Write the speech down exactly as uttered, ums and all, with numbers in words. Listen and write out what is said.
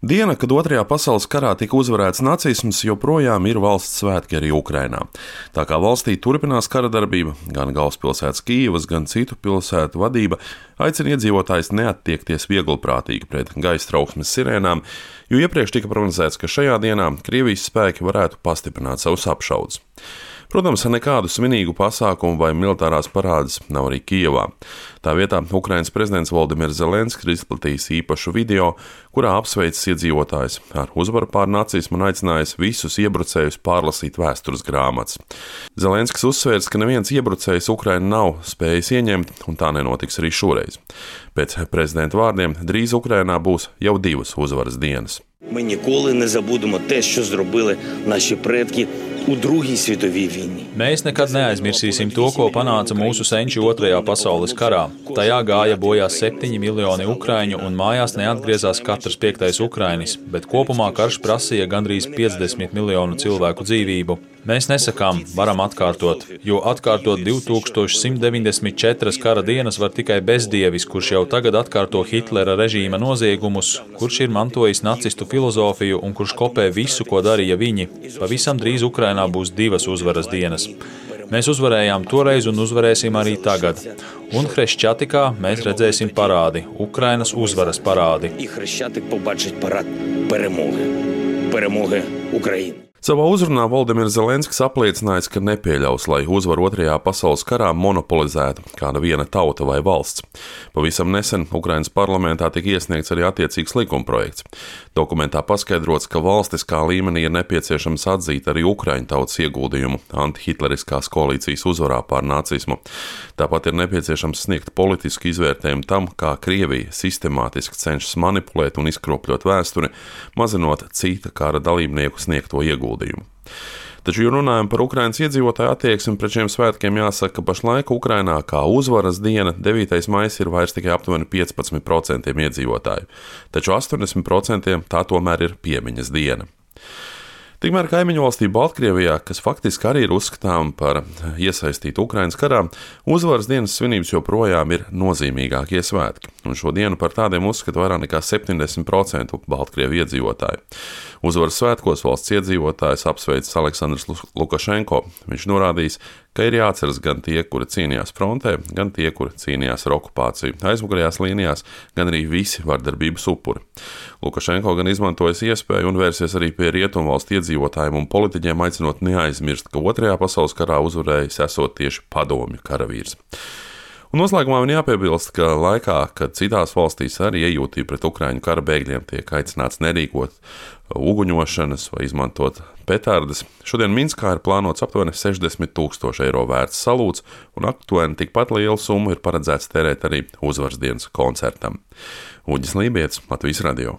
Diena, kad Otrajā pasaules karā tika uzvarēts nacisms, joprojām ir valsts svētki arī Ukrainā. Tā kā valstī turpinās kara darbība, gan galvaspilsētas Kijivas, gan citu pilsētu vadība aicina iedzīvotājus neattiekties vieglprātīgi pret gaisa trauksmes sirēnām, jo iepriekš tika prognozēts, ka šajā dienā Krievijas spēki varētu pastiprināt savus apšaudes. Protams, nekādu svinīgu pasākumu vai militārās parādes nav arī Kijevā. Tā vietā Ukrainas prezidents Voldimirs Zelenskis ir izplatījis īpašu video, kurā apsveicis iedzīvotājus ar uzvaru pār nacismu un aicinājis visus iebrucējus pārlasīt vēstures grāmatas. Zelenskis uzsvērs, ka neviens iebrucējs Ukrainu nav spējis ieņemt, un tā nenotiks arī šoreiz. Pēc prezidenta vārdiem drīz Ukrainā būs jau divas uzvaras dienas. Ми ніколи не забудемо те, що зробили наші предки у Другій світовій війні. Mēs nekad neaizmirsīsim to, ko panāca mūsu senči Otrajā pasaules karā. Tajā gāja bojā septiņi miljoni ukraiņu un mājās neatgriezās katrs piektais ukrainis, bet kopumā karš prasīja gandrīz piecdesmit miljonu cilvēku dzīvību. Mēs nesakām, varam atkārtot, jo atkārtot divi tūkstoši simt deviņdesmit četras kara dienas var tikai bezdievis, kurš jau tagad atkārto Hitlera režīma noziegumus, kurš ir mantojis nacistu filozofiju un kurš kopē visu, ko darīja viņi. Pavisam drīz Ukrainā būs divas uzvaras dienas. Mēs uzvarējām toreiz un uzvarēsim arī tagad. Un Hreščatikā mēs redzēsim parādi, Ukrainas uzvaras parādi. І Хрещатик побачить парад перемоги. Перемоги України. Savā uzrunā Voldimirs Zelenskis apliecinājis, ka nepieļaus, lai uzvaru Otrajā pasaules karā monopolizētu kāda viena tauta vai valsts. Pavisam nesen Ukrainas parlamentā tika iesniegts arī attiecīgs likumprojekts. Dokumentā paskaidrots, ka valstiskā līmenī ir nepieciešams atzīt arī Ukraiņu tautas ieguldījumu antihitleriskās koalīcijas uzvarā pār nacismu. Tāpat ir nepieciešams sniegt politisku izvērtējumu tam, kā Krievija sistemātiski cenšas manipulēt un izkropļot vēsturi, mazinot cita kara dalībnieku sniegto ieguldījumu. Taču, ja runājam par Ukrainas iedzīvotāju attieksmi pret šiem svētkiem, jāsaka, ka pašlaik Ukrainā kā uzvaras diena devītais maijs ir vairs tikai aptuveni piecpadsmit procenti iedzīvotāju, taču astoņdesmit procenti tā tomēr ir piemiņas diena. Tikmēr kaimiņu valstī Baltkrievijā, kas faktiski arī ir uzskatām par iesaistītu Ukrainas karā, uzvaras dienas svinības joprojām ir nozīmīgākie svētki, un šo dienu par tādiem uzskata vairāk nekā septiņdesmit procenti Baltkrievu iedzīvotāju. Uzvaras svētkos valsts iedzīvotājs apsveicis Aleksandrs Lukašenko. Viņš norādījis, ka ir jāatceras gan tie, kuri cīnījās frontē, gan tie, kuri cīnījās ar okupāciju aizmugurējās līnijās, gan arī visi vardarbības upuri. Lukašenko gan izmantojas iespēju un vērsies arī pie rietumvalstu iedzīvotājiem un politiķiem, aicinot neaizmirst, ka Otrajā pasaules karā uzvarējis esot tieši padomju karavīrs. Un noslēgumā man jāpiebilst, ka laikā, kad citās valstīs arī iejūtība pret Ukraiņu kara bēgļiem tiek aicināts nerīkot uguņošanas vai izmantot petardes, šodien Minskā ir plānots aptuveni sešdesmit tūkstoši eiro vērts salūts, un aptuveni tikpat lielu summu ir paredzēts tērēt arī uzvaras dienas koncertam. Uģis Lībietis, Latvijas radio.